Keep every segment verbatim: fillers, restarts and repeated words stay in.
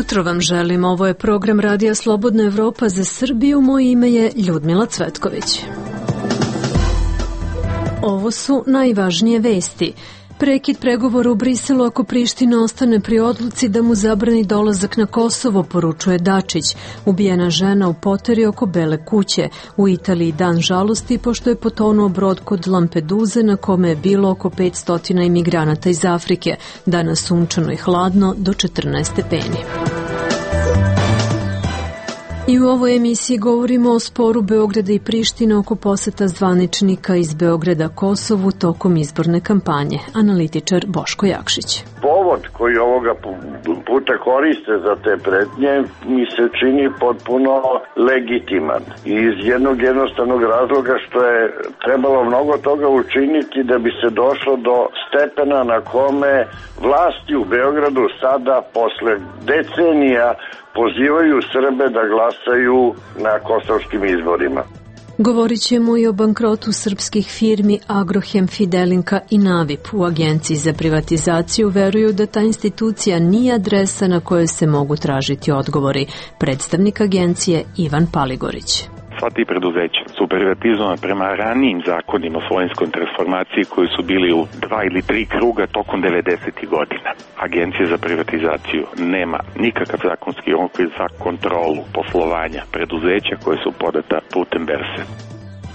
jutro vam želim. Ovo je program Radija Slobodna Evropa za Srbiju. Moje ime je Ljudmila Cvetković. Ovo su najvažnije vesti. Prekid pregovora u Briselu ako Priština ostane pri odluci da mu zabrani dolazak na Kosovo, poručuje Dačić. Ubijena žena u poteri oko Bele kuće. U Italiji dan žalosti pošto je potonuo brod kod Lampeduze na kome je bilo oko petsto imigranata iz Afrike. Danas sunčano i hladno do četrnaest stepeni. I u ovoj emisiji govorimo o sporu Beograda i Prištine oko poseta zvaničnika iz Beograda Kosovu tokom izborne kampanje. Analitičar Boško Jakšić. Povod koji ovoga puta koriste za te pretnje mi se čini potpuno legitiman. Iz jednog jednostavnog razloga što je trebalo mnogo toga učiniti da bi se došlo do stepena na kome vlasti u Beogradu sada posle decenija pozivaju Srbe da glasaju na kosovskim izborima. Govorit ćemo i o bankrotu srpskih firmi Agrohem, Fidelinka i Navip. U Agenciji za privatizaciju veruju da ta institucija nije adresa na kojoj se mogu tražiti odgovori. Predstavnik agencije Ivan Paligorić. Sva ti preduzeća su privatizovane prema ranijim zakonima o svojinskoj transformaciji koji su bili u dva ili tri kruga tokom devedesetih godina. Agencija za privatizaciju nema nikakav zakonski okvir za kontrolu poslovanja preduzeća koje su podata putem berze.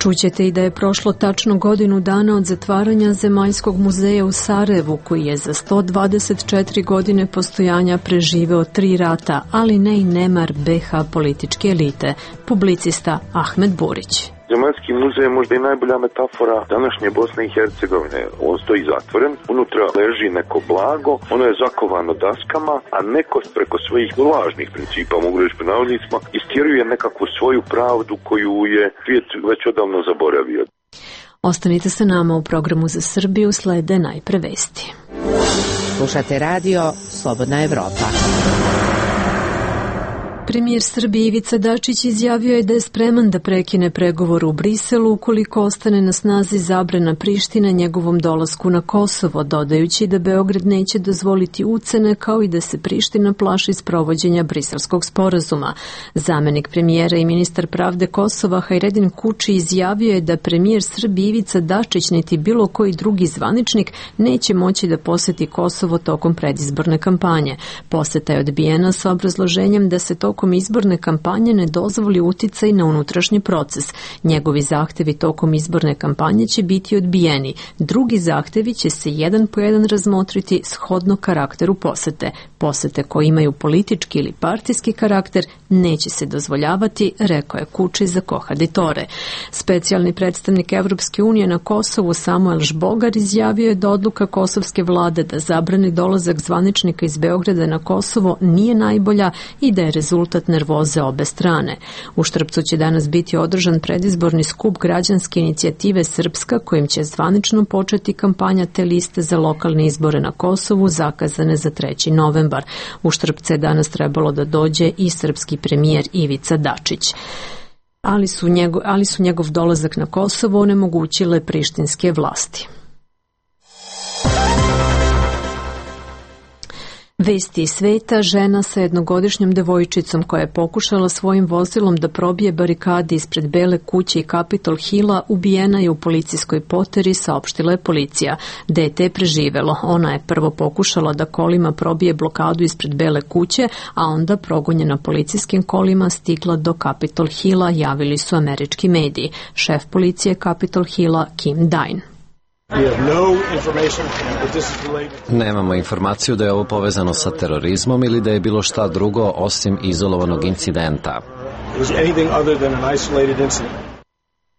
Čućete i da je prošlo tačno godinu dana od zatvaranja Zemaljskog muzeja u Sarajevu, koji je za sto dvadeset četiri godine postojanja preživeo tri rata, ali ne i nemar be ha političke elite. Publicista Ahmed Burić. Zemaljski muzej je možda i najbolja metafora današnje Bosne i Hercegovine. On stoji zatvoren, unutra leži neko blago, ono je zakovano daskama, a neko preko svojih lažnih principa, mogu reći po navodnicima, istjeruje nekakvu svoju pravdu koju je svijet već odavno zaboravio. Ostanite sa nama u programu za Srbiju, slede najpre vesti. Slušate radio Slobodna Evropa. Premijer Srbije Ivica Dačić izjavio je da je spreman da prekine pregovor u Briselu ukoliko ostane na snazi zabrana Prištine njegovom dolasku na Kosovo, dodajući da Beograd neće dozvoliti ucene kao i da se Priština plaši sprovođenja briselskog sporazuma. Zamenik premijera i ministar pravde Kosova Hajredin Kuči izjavio je da premijer Srbije Ivica Dačić niti bilo koji drugi zvaničnik neće moći da poseti Kosovo tokom predizborne kampanje. Poseta je odbijena sa obrazloženjem da se tokom tokom izborne kampanje ne dozvoli uticaj na unutrašnji proces. Njegovi zahtevi tokom izborne kampanje će biti odbijeni. Drugi zahtevi će se jedan po jedan razmotriti shodno karakteru posete. Posete koje imaju politički ili partijski karakter neće se dozvoljavati, rekao je Kuči za Kohaditore. Specijalni predstavnik Evropske unije na Kosovu Samuel Žbogar izjavio je da odluka kosovske vlade da zabrani dolazak zvaničnika iz Beograda na Kosovo nije najbolja i da je rezultat nervoze obe strane. U Štrpcu će danas biti održan predizborni skup građanske inicijative Srpska, kojim će zvanično početi kampanja te liste za lokalne izbore na Kosovu zakazane za treći novembar. U Štrpce je danas trebalo da dođe i srpski premijer Ivica Dačić. Ali su njegov, ali su njegov dolazak na Kosovo onemogućile prištinske vlasti. Vesti iz sveta, žena sa jednogodišnjom devojčicom koja je pokušala svojim vozilom da probije barikade ispred Bele kuće i Capitol Hilla ubijena je u policijskoj poteri, saopštila je policija. Dete je preživelo. Ona je prvo pokušala da kolima probije blokadu ispred Bele kuće, a onda progonjena policijskim kolima stigla do Capitol Hilla, javili su američki mediji. Šef policije Capitol Hilla Kim Dine. Nemamo informaciju da je ovo povezano sa terorizmom ili da je bilo šta drugo osim izolovanog incidenta.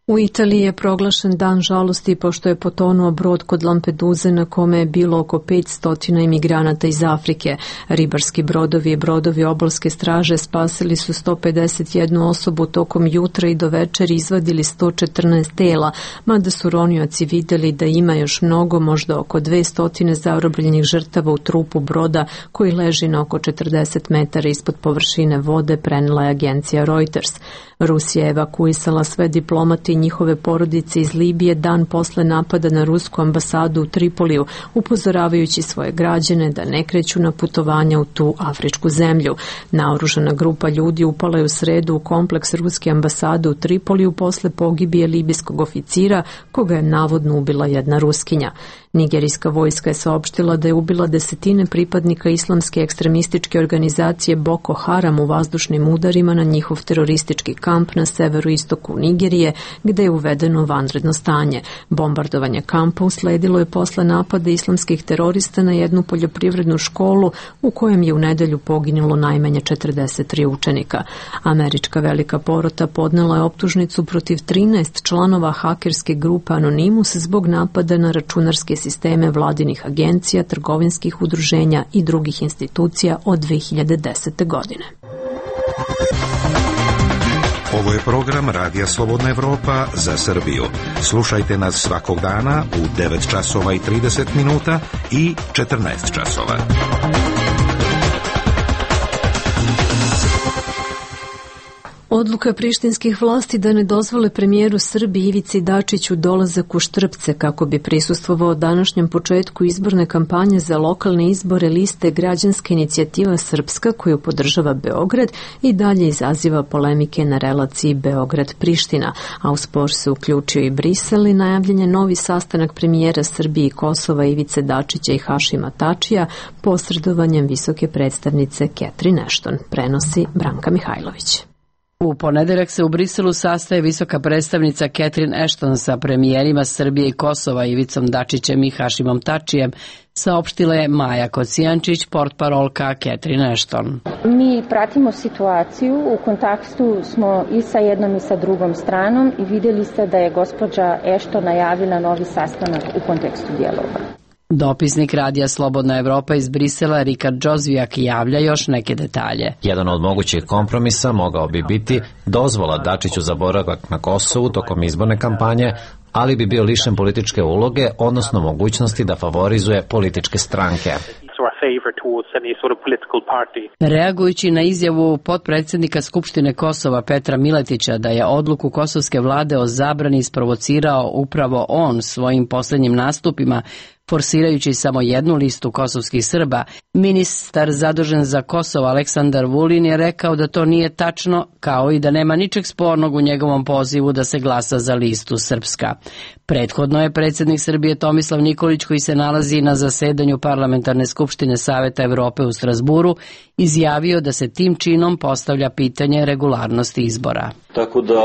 U Italiji je proglašen dan žalosti pošto je potonuo brod kod Lampeduze na kome je bilo oko petsto imigranata iz Afrike. Ribarski brodovi i brodovi obalske straže spasili su sto pedeset jednu osobu tokom jutra i do večeri izvadili sto četrnaest tela, mada su ronioci vidjeli da ima još mnogo, možda oko dvesta zarobljenih žrtava u trupu broda koji leži na oko četrdeset metara ispod površine vode, prenela je agencija Reuters. Rusija je evakuisala sve diplomate i njihove porodice iz Libije dan posle napada na rusku ambasadu u Tripoliju, upozoravajući svoje građane da ne kreću na putovanja u tu afričku zemlju. Naoružana grupa ljudi upala je u sredu u kompleks ruske ambasade u Tripoliju posle pogibije libijskog oficira koga je navodno ubila jedna Ruskinja. Nigerijska vojska je saopštila da je ubila desetine pripadnika islamske ekstremističke organizacije Boko Haram u vazdušnim udarima na njihov teroristički kamp na severoistoku Nigerije, gde je uvedeno vanredno stanje. Bombardovanje kampa usledilo je posle napada islamskih terorista na jednu poljoprivrednu školu u kojem je u nedelju poginulo najmanje četrdeset tri učenika. Američka velika porota podnela je optužnicu protiv trinaest članova hakerske grupe Anonymous zbog napada na računarske sisteme vladinih agencija, trgovinskih udruženja i drugih institucija od dve hiljade desete. godine. Ovo je program Radija Slobodna Evropa za Srbiju. Slušajte nas svakog dana u devet časova i trideset minuta i četrnaest časova. Odluka prištinskih vlasti da ne dozvole premijeru Srbije Ivici Dačiću dolazak u Štrpce kako bi prisustvovao današnjem početku izborne kampanje za lokalne izbore liste Građanska inicijativa Srpska koju podržava Beograd i dalje izaziva polemike na relaciji Beograd-Priština, a u spor se uključio i Brisel i najavljen je novi sastanak premijera Srbije i Kosova Ivice Dačića i Hašima Tačija posredovanjem visoke predstavnice Catherine Ashton, prenosi Branka Mihajlović. U ponedeljak se u Briselu sastaje visoka predstavnica Catherine Ashton sa premijerima Srbije i Kosova Ivicom Dačićem i Hašimom Tačijem, saopštila je Maja Kocijančić, portparolka Catherine Ashton. Mi pratimo situaciju, u kontaktu smo i sa jednom i sa drugom stranom i vidjeli ste da je gospođa Ashton najavila novi sastanak u kontekstu dijaloga. Dopisnik Radija Slobodna Evropa iz Brisela Rikard Džozvijak javlja još neke detalje. Jedan od mogućih kompromisa mogao bi biti dozvola Dačiću za boravak na Kosovu tokom izborne kampanje, ali bi bio lišen političke uloge, odnosno mogućnosti da favorizuje političke stranke. Reagujući na izjavu potpredsjednika Skupštine Kosova Petra Miletića da je odluku kosovske vlade o zabrani isprovocirao upravo on svojim posljednjim nastupima, forsirajući samo jednu listu kosovskih Srba, ministar zadužen za Kosovo Aleksandar Vulin je rekao da to nije tačno, kao i da nema ničeg spornog u njegovom pozivu da se glasa za listu Srpska. Prethodno je predsjednik Srbije Tomislav Nikolić, koji se nalazi na zasedanju Parlamentarne skupštine Saveta Evrope u Strasburu, izjavio da se tim činom postavlja pitanje regularnosti izbora. Tako da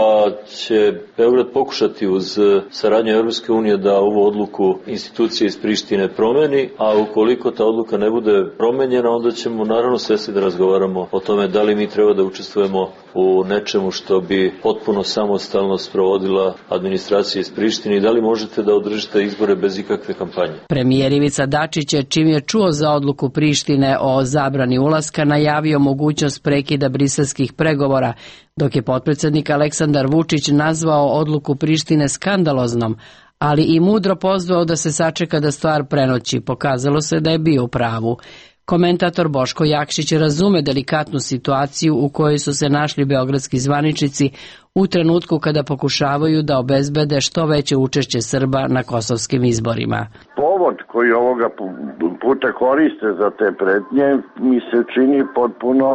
će Beograd pokušati uz saradnju Evropske unije da ovu odluku institucije iz Prištine promeni, a ukoliko ta odluka ne bude promenjena, onda ćemo naravno svesti da razgovaramo o tome da li mi treba da učestvujemo u nečemu što bi potpuno samostalno sprovodila administracija iz Prištine i da li možete da održite izbore bez ikakve kampanje. Premijer Ivica Dačić je, čim je čuo za odluku Prištine o zabrani ulaska, najavio mogućnost prekida briselskih pregovora, dok je potpredsjednik Aleksandar Vučić nazvao odluku Prištine skandaloznom, ali i mudro pozvao da se sačeka da stvar prenoći. Pokazalo se da je bio u pravu. Komentator Boško Jakšić razume delikatnu situaciju u kojoj su se našli beogradski zvaničnici u trenutku kada pokušavaju da obezbede što veće učešće Srba na kosovskim izborima. Povod koji ovoga puta koriste za te pretnje mi se čini potpuno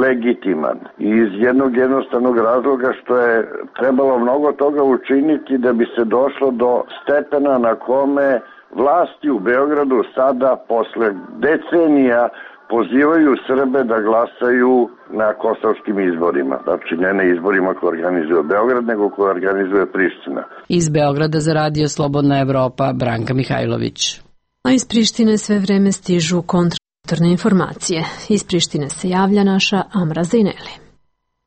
legitiman. Iz jednog jednostavnog razloga što je trebalo mnogo toga učiniti da bi se došlo do stepena na kome vlasti u Beogradu sada posle decenija pozivaju Srbe da glasaju na kosovskim izborima. Znači ne na izborima koje organizuje Beograd, nego koje organizuje Priština. Iz Beograda za Radio Slobodna Evropa, Branka Mihajlović. A iz Prištine sve vreme stižu kontradiktorne informacije. Iz Prištine se javlja naša Amra Zejneli.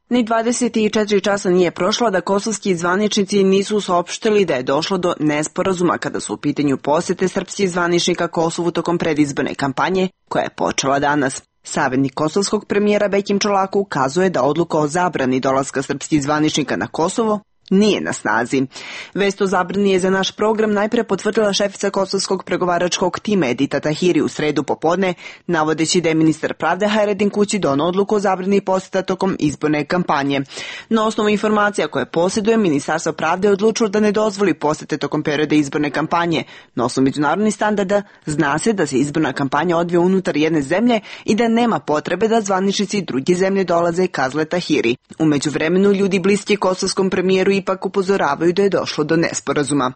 Ni dvadeset četiri časa nije prošlo da kosovski zvaničnici nisu saopštili da je došlo do nesporazuma kada su u pitanju posete srpskih zvaničnika Kosovu tokom predizborne kampanje koja je počela danas. Savjetnik kosovskog premijera Bekim Čolaku ukazuje da odluka o zabrani dolaska srpskih zvaničnika na Kosovo nije na snazi. Vest o zabrani je za naš program najpre potvrdila šefica kosovskog pregovaračkog tima Edita Tahiri u sredu popodne, navodeći da je ministar pravde Hayreddin Kući doneo odluku o zabrani poseta tokom izborne kampanje. Na osnovu informacija koje posjeduje, Ministarstvo pravde je odlučilo da ne dozvoli posete tokom perioda izborne kampanje. Na osnovu međunarodnih standarda zna se da se izborna kampanja odvija unutar jedne zemlje i da nema potrebe da zvaničnici druge zemlje dolaze i kazle Tahiri. U međuvremenu ljudi bliski kosovskom premijeru ipak upozoravaju da je došlo do nesporazuma.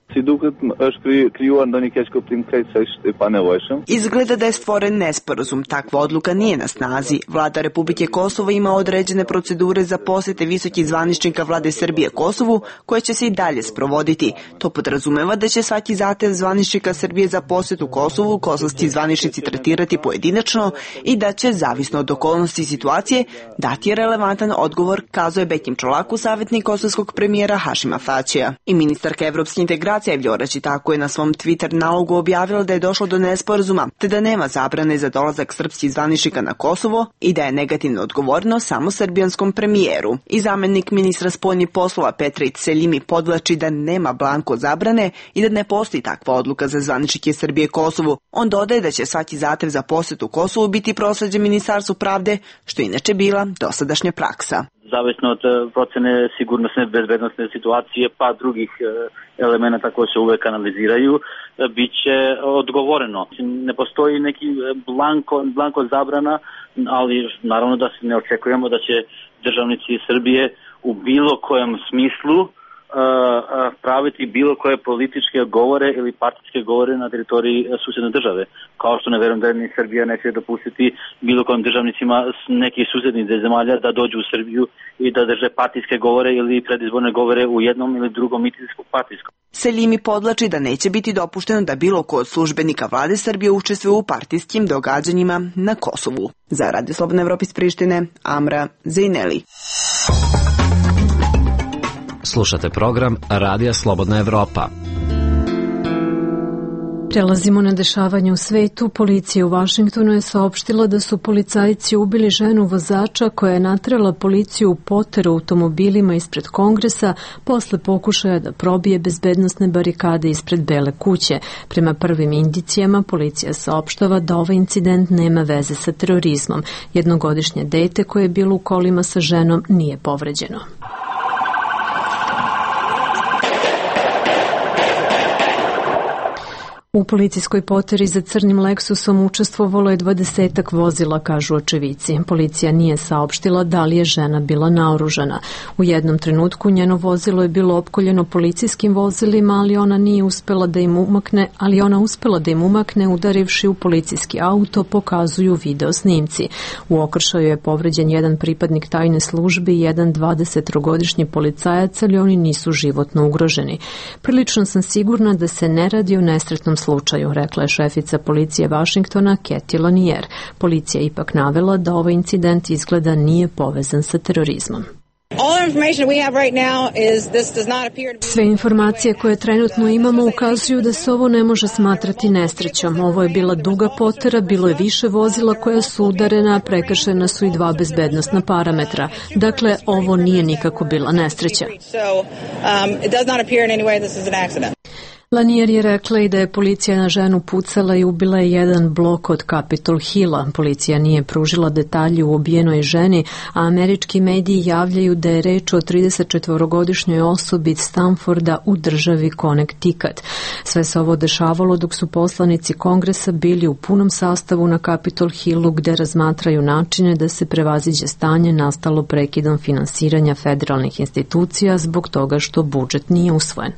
Izgleda da je stvoren nesporazum. Takva odluka nije na snazi. Vlada Republike Kosovo ima određene procedure za posete visokih zvaničnika vlade Srbije Kosovu, koje će se i dalje sprovoditi. To podrazumeva da će svaki zahtev zvaničnika Srbije za posetu Kosovu kosovski zvaničnici tretirati pojedinačno i da će, zavisno od okolnosti situacije, dati relevantan odgovor, kazao je Bekim Čolaku, savjetnik kosovskog premijera Hašima Tačija. I ministarka evropske integracije Vljora Čitako je na svom Twitter nalogu objavila da je došlo do nesporazuma, te da nema zabrane za dolazak srpskih zvaničnika na Kosovo i da je negativno odgovorno samo srbijanskom premijeru. I zamenik ministra spoljnih poslova Petrić Seljimi podvlači da nema blanko zabrane i da ne postoji takva odluka za zvaničnike Srbije Kosovu. On dodaje da će svaki zahtev za posetu Kosovu biti prosleđen Ministarstvu pravde, što je inače bila dosadašnja praksa. Zavisno od procene sigurnosne bezbednosne situacije pa drugih elemenata koji se uvek analiziraju, bit će odgovoreno. Ne postoji neki blanko, blanko zabrana, ali naravno da se ne očekujemo da će državnici Srbije u bilo kojem smislu praviti bilo koje političke govore ili partijske govore na teritoriji susedne države. Kao što ne verujem da ni Srbija neće dopustiti bilo kojim državnicima nekih susednih zemalja da dođu u Srbiju i da drže partijske govore ili predizborne govore u jednom ili drugom mitinjskom partijskom. Seljimi podlači da neće biti dopušteno da bilo ko od službenika vlade Srbije učestvuje u partijskim događanjima na Kosovu. Za Radio Slobodna Evropa iz Prištine, Amra Zejneli. Slušate program Radija Slobodna Evropa. Prelazimo na dešavanje u svetu. Policija u Vašingtonu je saopštila da su policajci ubili ženu vozača koja je natrela policiju u poteru automobilima ispred Kongresa posle pokušaja da probije bezbednosne barikade ispred Bele kuće. Prema prvim indicijama policija saopštava da ovaj incident nema veze sa terorizmom. Jednogodišnje dete koje je bilo u kolima sa ženom nije povređeno. U policijskoj poteri za crnim Lexusom učestvovalo je dvadesetak vozila, kažu očevici. Policija nije saopštila da li je žena bila naoružana. U jednom trenutku njeno vozilo je bilo opkoljeno policijskim vozilima, ali ona nije uspela da im umakne, ali ona uspela da im umakne udarivši u policijski auto, pokazuju video snimci. U okršaju je povređen jedan pripadnik tajne službe i jedan dvadesettrogodišnji policajac, ali oni nisu životno ugroženi. Prilično sam sigurna da se ne radi o nesretnom slučaju, rekla je šefica policije Vašingtona Kathy Lanier. Policija ipak navela da ovaj incident izgleda nije povezan sa terorizmom. Sve informacije koje trenutno imamo ukazuju da se ovo ne može smatrati nesrećom. Ovo je bila duga potera, bilo je više vozila koja su udarena, a prekršena su i dva bezbednosna parametra. Dakle, ovo nije nikako bila nesreća. Lanier je rekla i da je policija na ženu pucala i ubila je jedan blok od Capitol Hilla. Policija nije pružila detalje u ubijenoj ženi, a američki mediji javljaju da je reč o tridesetčetvorogodišnjoj osobi iz Stanforda u državi Connecticut. Sve se ovo dešavalo dok su poslanici Kongresa bili u punom sastavu na Capitol Hillu, gde razmatraju načine da se prevaziđe stanje nastalo prekidom finansiranja federalnih institucija zbog toga što budžet nije usvojen.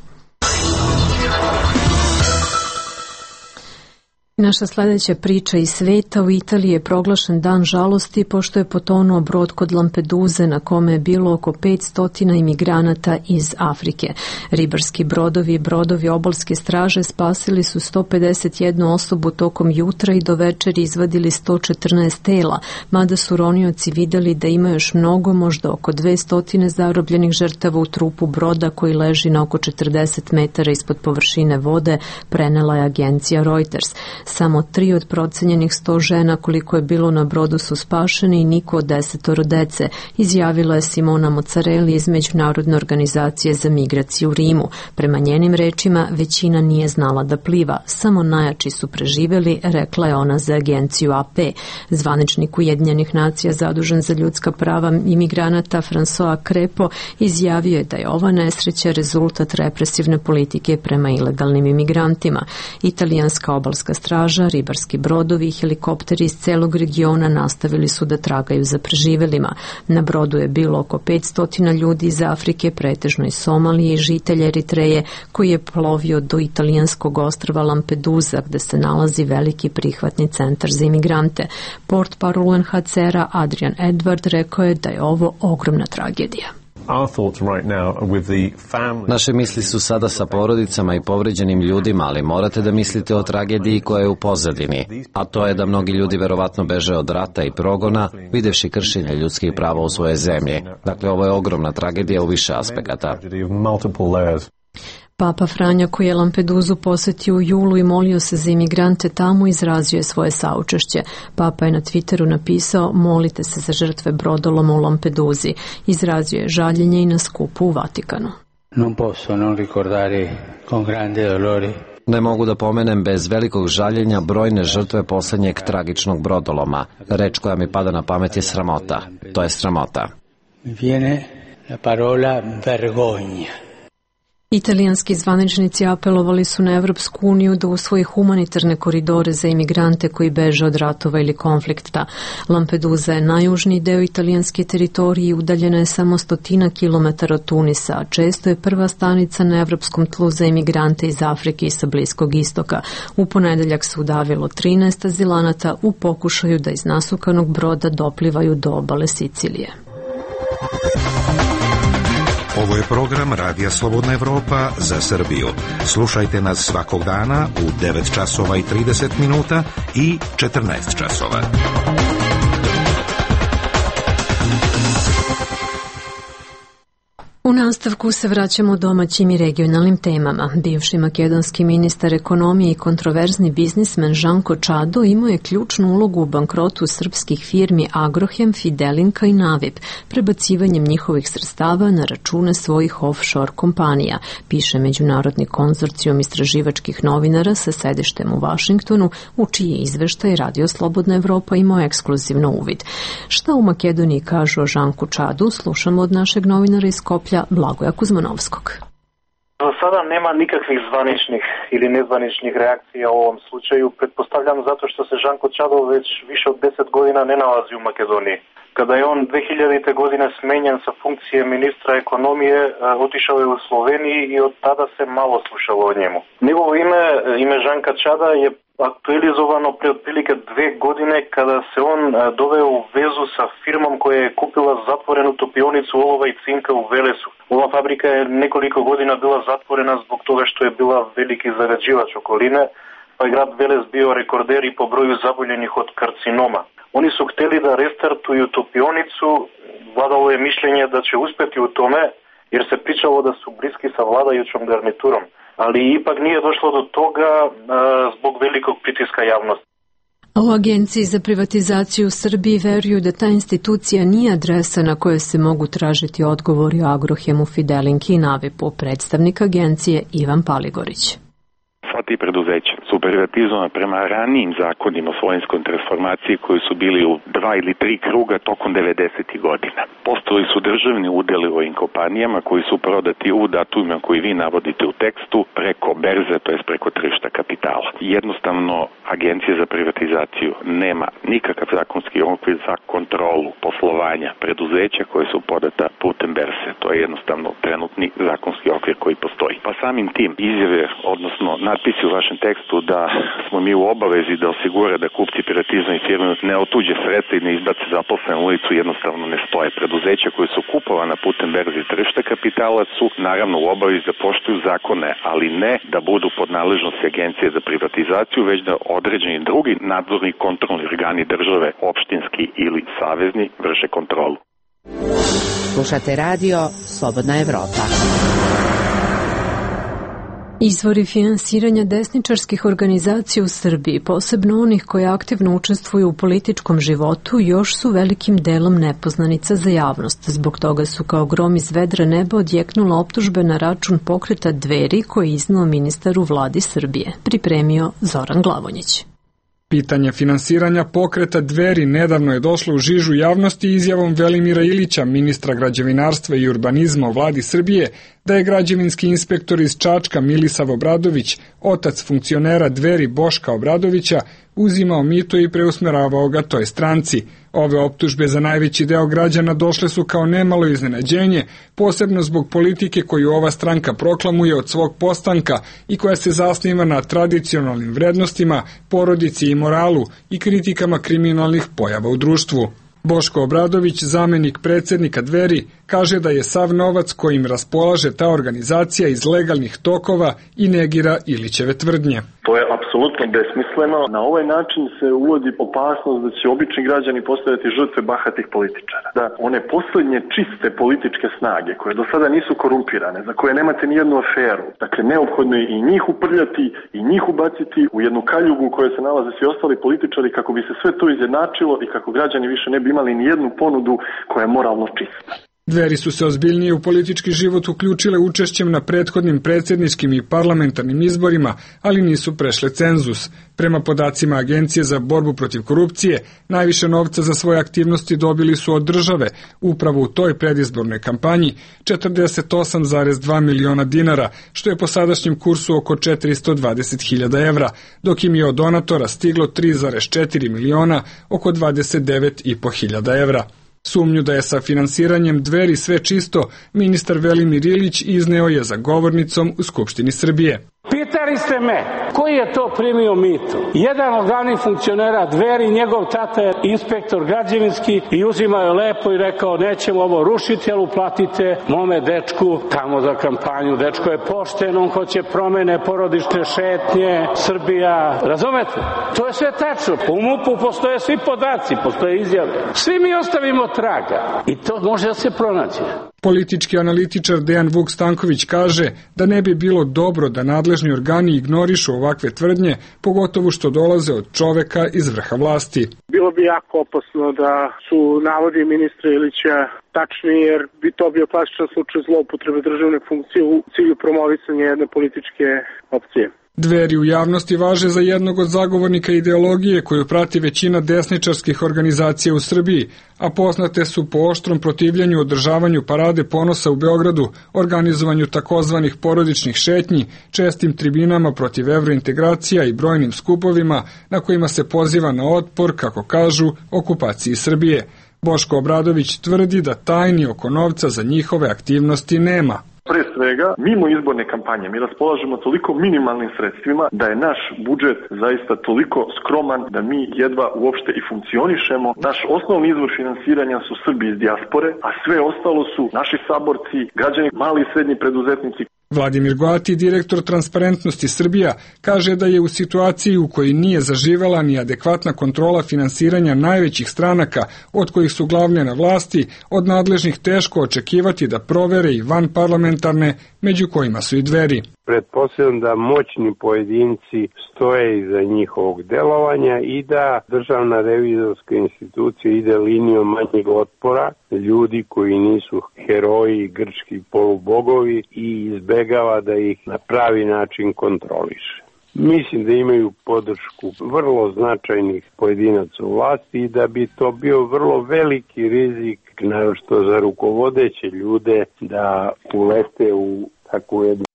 Naša sljedeća priča iz sveta. U Italiji je proglašen dan žalosti pošto je potonuo brod kod Lampeduze na kome je bilo oko petsto imigranata iz Afrike. Ribarski brodovi i brodovi obalske straže spasili su sto pedeset jednu osobu tokom jutra i do večeri izvadili sto četrnaest tela, mada su ronioci vidjeli da ima još mnogo, možda oko dvesta zarobljenih žrtava u trupu broda koji leži na oko četrdeset metara ispod površine vode, prenela je agencija Reuters. Samo tri od procenjenih sto žena koliko je bilo na brodu su spašeni i niko od desetoro dece, izjavila je Simona Mozzarelli iz Međunarodne organizacije za migraciju u Rimu. Prema njenim rečima, većina nije znala da pliva, samo najjači su preživeli, rekla je ona za agenciju A P. Zvaničnik Ujedinjenih nacija zadužen za ljudska prava imigranata François Crepo izjavio je da je ova nesreća rezultat represivne politike prema ilegalnim imigrantima. Italijanska obalska straža, ribarski brodovi i helikopteri iz celog regiona nastavili su da tragaju za preživelima. Na brodu je bilo oko petsto ljudi iz Afrike, pretežno iz Somalije i žitelja Eritreje, koji je plovio do italijanskog ostrva Lampedusa, gde se nalazi veliki prihvatni centar za imigrante. Portparol U N H C R-a Adrian Edward rekao je da je ovo ogromna tragedija. Naše misli su sada sa porodicama i povređenim ljudima, ali morate da mislite o tragediji koja je u pozadini, a to je da mnogi ljudi verovatno beže od rata i progona, videvši kršenje ljudskih prava u svoje zemlje. Dakle, ovo je ogromna tragedija u više aspekata. Papa Franja, koji je Lampeduzu posetio u julu i molio se za imigrante tamo, izrazio je svoje saučešće. Papa je na Twitteru napisao: molite se za žrtve brodoloma u Lampeduzi. Izrazio je žaljenje i na skupu u Vatikanu. Non posso non ricordare con grande dolore. Ne mogu da pomenem bez velikog žaljenja brojne žrtve poslednjeg tragičnog brodoloma. Reč koja mi pada na pamet je sramota. To je sramota. Viene la parola vergogna. Italijanski zvaničnici apelovali su na Evropsku uniju da usvoji humanitarne koridore za imigrante koji beže od ratova ili konflikta. Lampedusa je najjužniji deo italijanske teritorije i udaljena je samo stotina kilometara od Tunisa, a često je prva stanica na evropskom tlu za imigrante iz Afrike i sa Bliskog istoka. U ponedeljak se udavilo trinaest azilanata u pokušaju da iz nasukanog broda doplivaju do obale Sicilije. Ovo je program Radija Slobodna Evropa za Srbiju. Slušajte nas svakog dana u devet časova i trideset minuta i četrnaest časova. U nastavku se vraćamo domaćim i regionalnim temama. Bivši makedonski ministar ekonomije i kontroverzni biznismen Žanko Čado imao je ključnu ulogu u bankrotu srpskih firmi Agrohem, Fidelinka i Navip, prebacivanjem njihovih sredstava na račune svojih offshore kompanija, piše Međunarodni konzorcijum istraživačkih novinara sa sedištem u Vašingtonu, u čiji izveštaj Radio Slobodna Evropa imao ekskluzivno uvid. Šta u Makedoniji kažu o Žanku Čadu, slušamo od našeg novinara iz Skoplja, Blagoja Kuzmanovskog. Do sada nema nikakvih zvaničnih ili nezvaničnih reakcija u ovom slučaju. Pretpostavljam zato što se Žanko Čadov već više od deset godina ne nalazi u Makedoniji. Kada je on dve hiljadite godine smenjen sa funkcije ministra ekonomije, otišao je u Sloveniji i od tada se malo slušalo o njemu. Njegovo ime, ime Žanka Čada, je aktualizovano pre otprilike dve godine kada se on doveo u vezu sa firmom koja je kupila zatvorenu topionicu olova i cinka u Velesu. Ova fabrika je nekoliko godina bila zatvorena zbog toga što je bila veliki zagađivač okoline, pa je grad Veles bio rekorder i po broju zaboljenih od karcinoma. Oni su hteli da restartuju topionicu, vladalo je mišljenje da će uspeti u tome, jer se pričalo da su bliski sa vladajućom garniturom. Ali ipak nije došlo do toga a, zbog velikog pritiska javnosti. U Agenciji za privatizaciju u Srbiji veruju da ta institucija nije adresa na kojoj se mogu tražiti odgovori o Agrohemu, Fidelinki i Navipu, predstavnik agencije Ivan Paligorić. Sva ti preduzeća su privatizovana prema ranijim zakonima o svojinskoj transformaciji koji su bili u dva ili tri kruga tokom devedesetih godina. Postojali su državni udeli u ovim kompanijama koji su prodati u datumima koji vi navodite u tekstu preko berze, to jest preko tržišta kapitala. Jednostavno, Agencija za privatizaciju nema nikakav zakonski okvir za kontrolu poslovanja preduzeća koje su podata putem berze. To je jednostavno trenutni zakonski okvir koji postoji. Pa samim tim izjave, odnosno natpisi u vašem tekstu da smo mi u obavezi da osigura da kupci privatizovane firme ne otuđe sredstva i ne izbace zaposlene u ulicu, jednostavno ne stoje. Preduzeća koje su kupovana putem berze i tržišta kapitala su naravno u obavezi da poštuju zakone, ali ne da budu pod nadležnosti Agencije za privatizaciju, već da određeni drugi nadzorni kontrolni organi države, opštinski ili savezni, vrše kontrolu. Slušate radio Slobodna Evropa. Izvori finansiranja desničarskih organizacija u Srbiji, posebno onih koje aktivno učestvuju u političkom životu, još su velikim delom nepoznanica za javnost. Zbog toga su kao grom iz vedra neba odjeknula optužbe na račun pokreta Dveri koji je iznao ministar u vladi Srbije. Pripremio Zoran Glavonjić. Pitanje finansiranja pokreta Dveri nedavno je došlo u žižu javnosti izjavom Velimira Ilića, ministra građevinarstva i urbanizma u vladi Srbije, da je građevinski inspektor iz Čačka Milisav Obradović, otac funkcionera Dveri Boška Obradovića, uzimao mito i preusmeravao ga toj stranci. Ove optužbe za najveći deo građana došle su kao nemalo iznenađenje, posebno zbog politike koju ova stranka proklamuje od svog postanka i koja se zasniva na tradicionalnim vrednostima, porodici i moralu i kritikama kriminalnih pojava u društvu. Boško Obradović, zamenik predsednika Dveri, kaže da je sav novac kojim raspolaže ta organizacija iz legalnih tokova i negira Ilićeve tvrdnje. To je apsolutno besmisleno. Na ovaj način se uvodi opasnost da će obični građani postajati žrtve bahatih političara. Da one poslednje čiste političke snage, koje do sada nisu korumpirane, za koje nemate ni jednu aferu, dakle neophodno je i njih uprljati i njih ubaciti u jednu kaljugu u kojoj se nalaze svi ostali političari kako bi se sve to izjednačilo i kako građani više ne bi imali ni jednu ponudu koja je moralno čista. Dveri su se ozbiljnije u politički život uključile učešćem na prethodnim predsjedničkim i parlamentarnim izborima, ali nisu prešle cenzus. Prema podacima Agencije za borbu protiv korupcije, najviše novca za svoje aktivnosti dobili su od države, upravo u toj predizbornoj kampanji, četrdeset osam zarez dva miliona dinara, što je po sadašnjem kursu oko četiristo dvadeset hiljada evra, dok im je od donatora stiglo tri zarez četiri miliona, oko dvadeset devet i po hiljada evra. Sumnju da je sa finansiranjem Dveri sve čisto, ministar Velimir Ilić izneo je za govornicom u Skupštini Srbije. Pitali ste me, koji je to primio mito? Jedan od glavnih funkcionera Dveri, njegov tata je inspektor građevinski i uzimao je lepo i rekao nećemo ovo rušiti, ali uplatite mome dečku tamo za kampanju. Dečko je pošten, on hoće promene, porodične šetnje, Srbija. Razumete? To je sve tačno. U MUP-u postoje svi podaci, postoje izjave. Svi mi ostavimo traga i to može da se pronađe. Politički analitičar Dejan Vuk Stanković kaže da ne bi bilo dobro da nadležni organi ignorišu ovakve tvrdnje, pogotovo što dolaze od čoveka iz vrha vlasti. Bilo bi jako opasno da su navodi ministra Ilića tačni, jer bi to bio klasičan slučaj zloupotrebe državne funkcije u cilju promovisanja jedne političke opcije. Dveri u javnosti važe za jednog od zagovornika ideologije koju prati većina desničarskih organizacija u Srbiji, a poznate su po oštrom protivljenju održavanju parade ponosa u Beogradu, organizovanju takozvanih porodičnih šetnji, čestim tribinama protiv evrointegracija i brojnim skupovima na kojima se poziva na otpor, kako kažu, okupaciji Srbije. Boško Obradović tvrdi da tajni oko novca za njihove aktivnosti nema. Pre svega, mimo izborne kampanje mi raspolažemo toliko minimalnim sredstvima da je naš budžet zaista toliko skroman da mi jedva uopšte i funkcionišemo. Naš osnovni izvor finansiranja su Srbi iz dijaspore, a sve ostalo su naši saborci, građani, mali i srednji preduzetnici. Vladimir Goati, direktor Transparentnosti Srbija, kaže da je u situaciji u kojoj nije zaživela ni adekvatna kontrola finansiranja najvećih stranaka, od kojih su glavne na vlasti, od nadležnih teško očekivati da provere i vanparlamentarne, među kojima su i Dveri. Pretpostavljam da moćni pojedinci stoje iza njihovog delovanja i da državna revizorska institucija ide linijom manjeg otpora, ljudi koji nisu heroji, grčki polubogovi i izbegava da ih na pravi način kontroliše. Mislim da imaju podršku vrlo značajnih pojedinaca u vlasti i da bi to bio vrlo veliki rizik, naročito za rukovodeće ljude, da ulete u takvu jednu.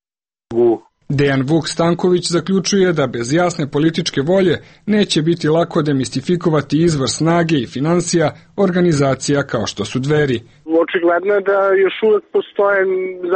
Dejan Vuk Stanković zaključuje da bez jasne političke volje neće biti lako demistifikovati izvor snage i finansija organizacija kao što su Dveri. Očigledno je da još uvek postoje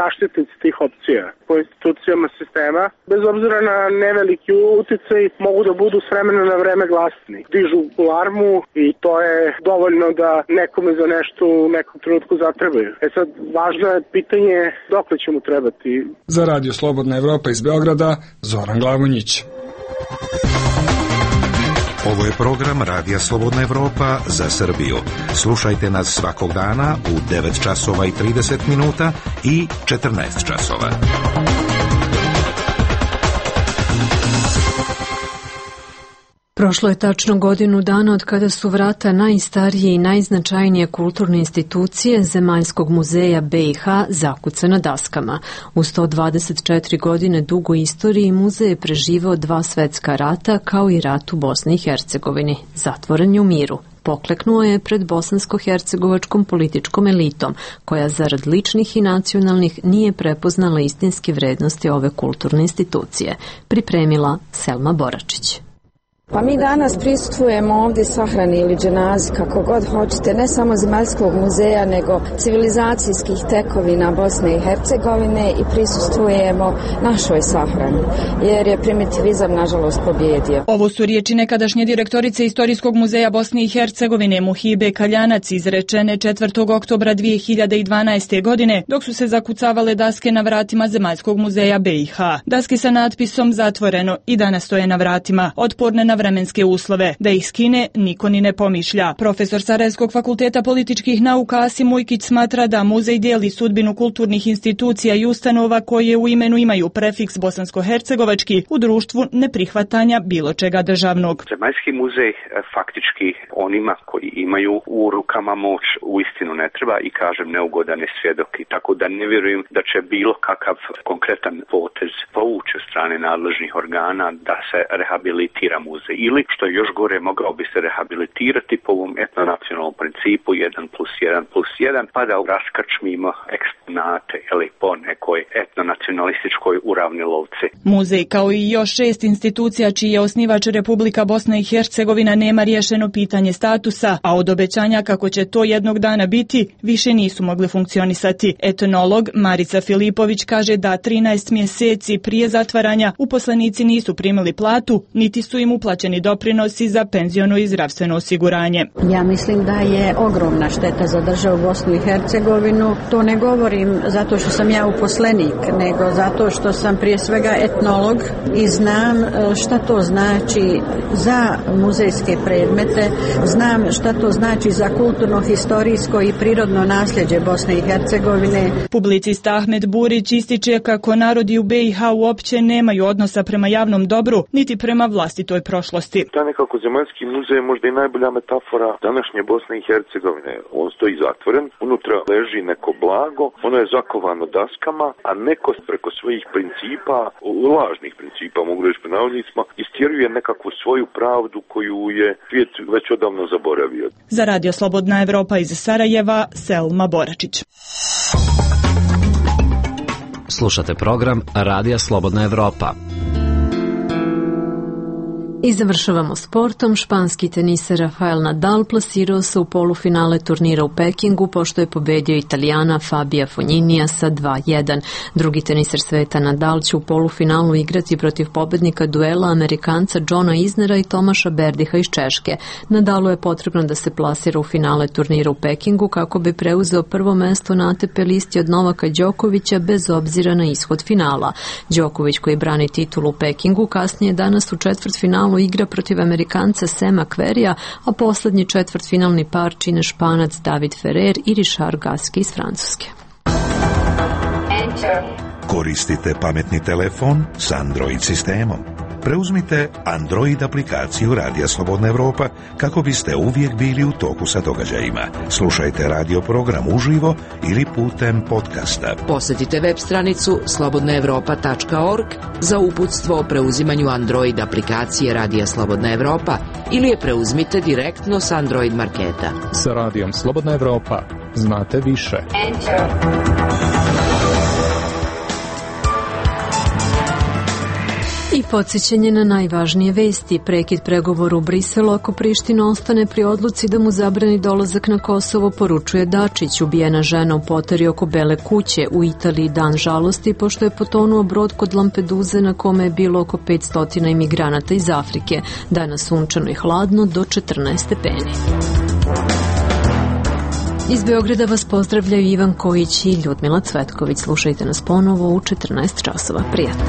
zaštitnici tih opcija po institucijama sistema. Bez obzira na neveliki uticaj mogu da budu s vremena na vreme glasni. Dižu alarmu i to je dovoljno da nekome za nešto u nekom trenutku zatrebaju. E sad, važno je pitanje dokle će mu trebati. Za Radio Slobodna Evropa iz Beograda, Zoran Glavonjić. Ovo je program Radija Slobodna Evropa za Srbiju. Slušajte nas svakog dana u devet časova i trideset minuta i četrnaest časova. Prošlo je tačno godinu dana od kada su vrata najstarije i najznačajnije kulturne institucije Zemaljskog muzeja be i ha zakucana daskama. U sto dvadeset četiri godine dugoj istoriji muzej je preživao dva svetska rata kao i rat u Bosni i Hercegovini. Zatvoren je u miru. Pokleknuo je pred bosansko-hercegovačkom političkom elitom, koja zarad ličnih i nacionalnih nije prepoznala istinske vrednosti ove kulturne institucije. Pripremila Selma Boračić. Pa mi danas prisustvujemo ovdje sahrani ili dženazi, kako god hoćete, ne samo Zemaljskog muzeja, nego civilizacijskih tekovina Bosne i Hercegovine i prisustvujemo našoj sahrani, jer je primitivizam nažalost pobjedio. Ovo su riječi nekadašnje direktorice Istorijskog muzeja Bosne i Hercegovine Muhibe Kaljanac izrečene četvrtog oktobra dvije hiljade dvanaeste. godine, dok su se zakucavale daske na vratima Zemaljskog muzeja be i ha. Daske sa natpisom zatvoreno i danas stoje na vratima, otporne na vremenske uslove. Da ih skine, niko ni ne pomišlja. Profesor Sarajevskog fakulteta političkih nauka Asim Ujkić smatra da muzej dijeli sudbinu kulturnih institucija i ustanova koje u imenu imaju prefiks bosansko-hercegovački u društvu neprihvatanja bilo čega državnog. Zemaljski muzej faktički onima koji imaju u rukama moć uistinu ne treba i kažem neugodan je svjedok, i tako da ne vjerujem da će bilo kakav konkretan potez povući od strane nadležnih organa da se rehabilitira muzej. Ili, što je još gore, mogao bi se rehabilitirati po ovom etnonacionalnom principu jedan plus jedan plus jedan, pa da raskačmimo eksponate ili po nekoj etnonacionalističkoj uravnilovci. Muzej, kao i još šest institucija čiji je osnivač Republika Bosna i Hercegovina, nema riješeno pitanje statusa, a od obećanja kako će to jednog dana biti, više nisu mogli funkcionisati. Etnolog Marica Filipović kaže da trinaest mjeseci prije zatvaranja uposlenici nisu primili platu, niti su im uplaćeni doprinosi za penziono i zdravstveno osiguranje. Ja mislim da je ogromna šteta za državu Bosnu i Hercegovinu. To ne govorim zato što sam ja uposlenik, nego zato što sam prije svega etnolog i znam šta to znači za muzejske predmete, znam šta to znači za kulturno, historijsko i prirodno nasljeđe Bosne i Hercegovine. Publicista Ahmed Burić ističe kako narodi u be i ha uopće nemaju odnosa prema javnom dobru, niti prema vlastitoj prošlosti. Ta nekako Zemaljski muzej je možda i najbolja metafora današnje Bosne i Hercegovine. On stoji zatvoren, unutra leži neko blago, ono je zakovano daskama, a neko preko svojih principa, lažnih principa, mogu reći po navodnicima, istjeruje nekakvu svoju pravdu koju je svijet već odavno zaboravio. Za Radio Slobodna Evropa iz Sarajeva, Selma Boračić. Slušate program Radija Slobodna Evropa. I završavamo sportom. Španski teniser Rafael Nadal plasirao se u polufinale turnira u Pekingu pošto je pobedio Italijana Fabija Fogninija sa dva jedan. Drugi teniser sveta Nadal će u polufinalu igrati protiv pobednika duela Amerikanca Johna Isnera i Tomaša Berdiha iz Češke. Nadalu je potrebno da se plasira u finale turnira u Pekingu kako bi preuzeo prvo mesto na A T P listi od Novaka Đokovića bez obzira na ishod finala. Đoković, koji brani titulu u Pekingu, kasnije danas u četvrtfinalu igra protiv Amerikanca Sema Querrya, a poslednji četvrtfinalni par čine Španac David Ferrer i Richard Gasquet iz Francuske. Koristite pametni telefon s Android sistemom. Preuzmite Android aplikaciju Radija Slobodna Evropa kako biste uvijek bili u toku sa događajima. Slušajte radio program uživo ili putem podcasta. Posjetite web stranicu slobodna evropa tačka org za uputstvo o preuzimanju Android aplikacije Radija Slobodna Evropa ili je preuzmite direktno s Android marketa. Sa Radijom Slobodna Evropa znate više. Enter. I podsjećanje na najvažnije vesti. Prekid pregovora u Briselu ako Priština ostane pri odluci da mu zabrani dolazak na Kosovo, poručuje Dačić. Ubijena žena u poteri oko Bele kuće. U Italiji dan žalosti pošto je potonuo brod kod Lampeduze na kome je bilo oko petsto imigranata iz Afrike. Danas sunčano i hladno do četrnaest stepeni. Iz Beograda vas pozdravljaju Ivan Kojić i Ljudmila Cvetković. Slušajte nas ponovo u četrnaest časova. Prijatno.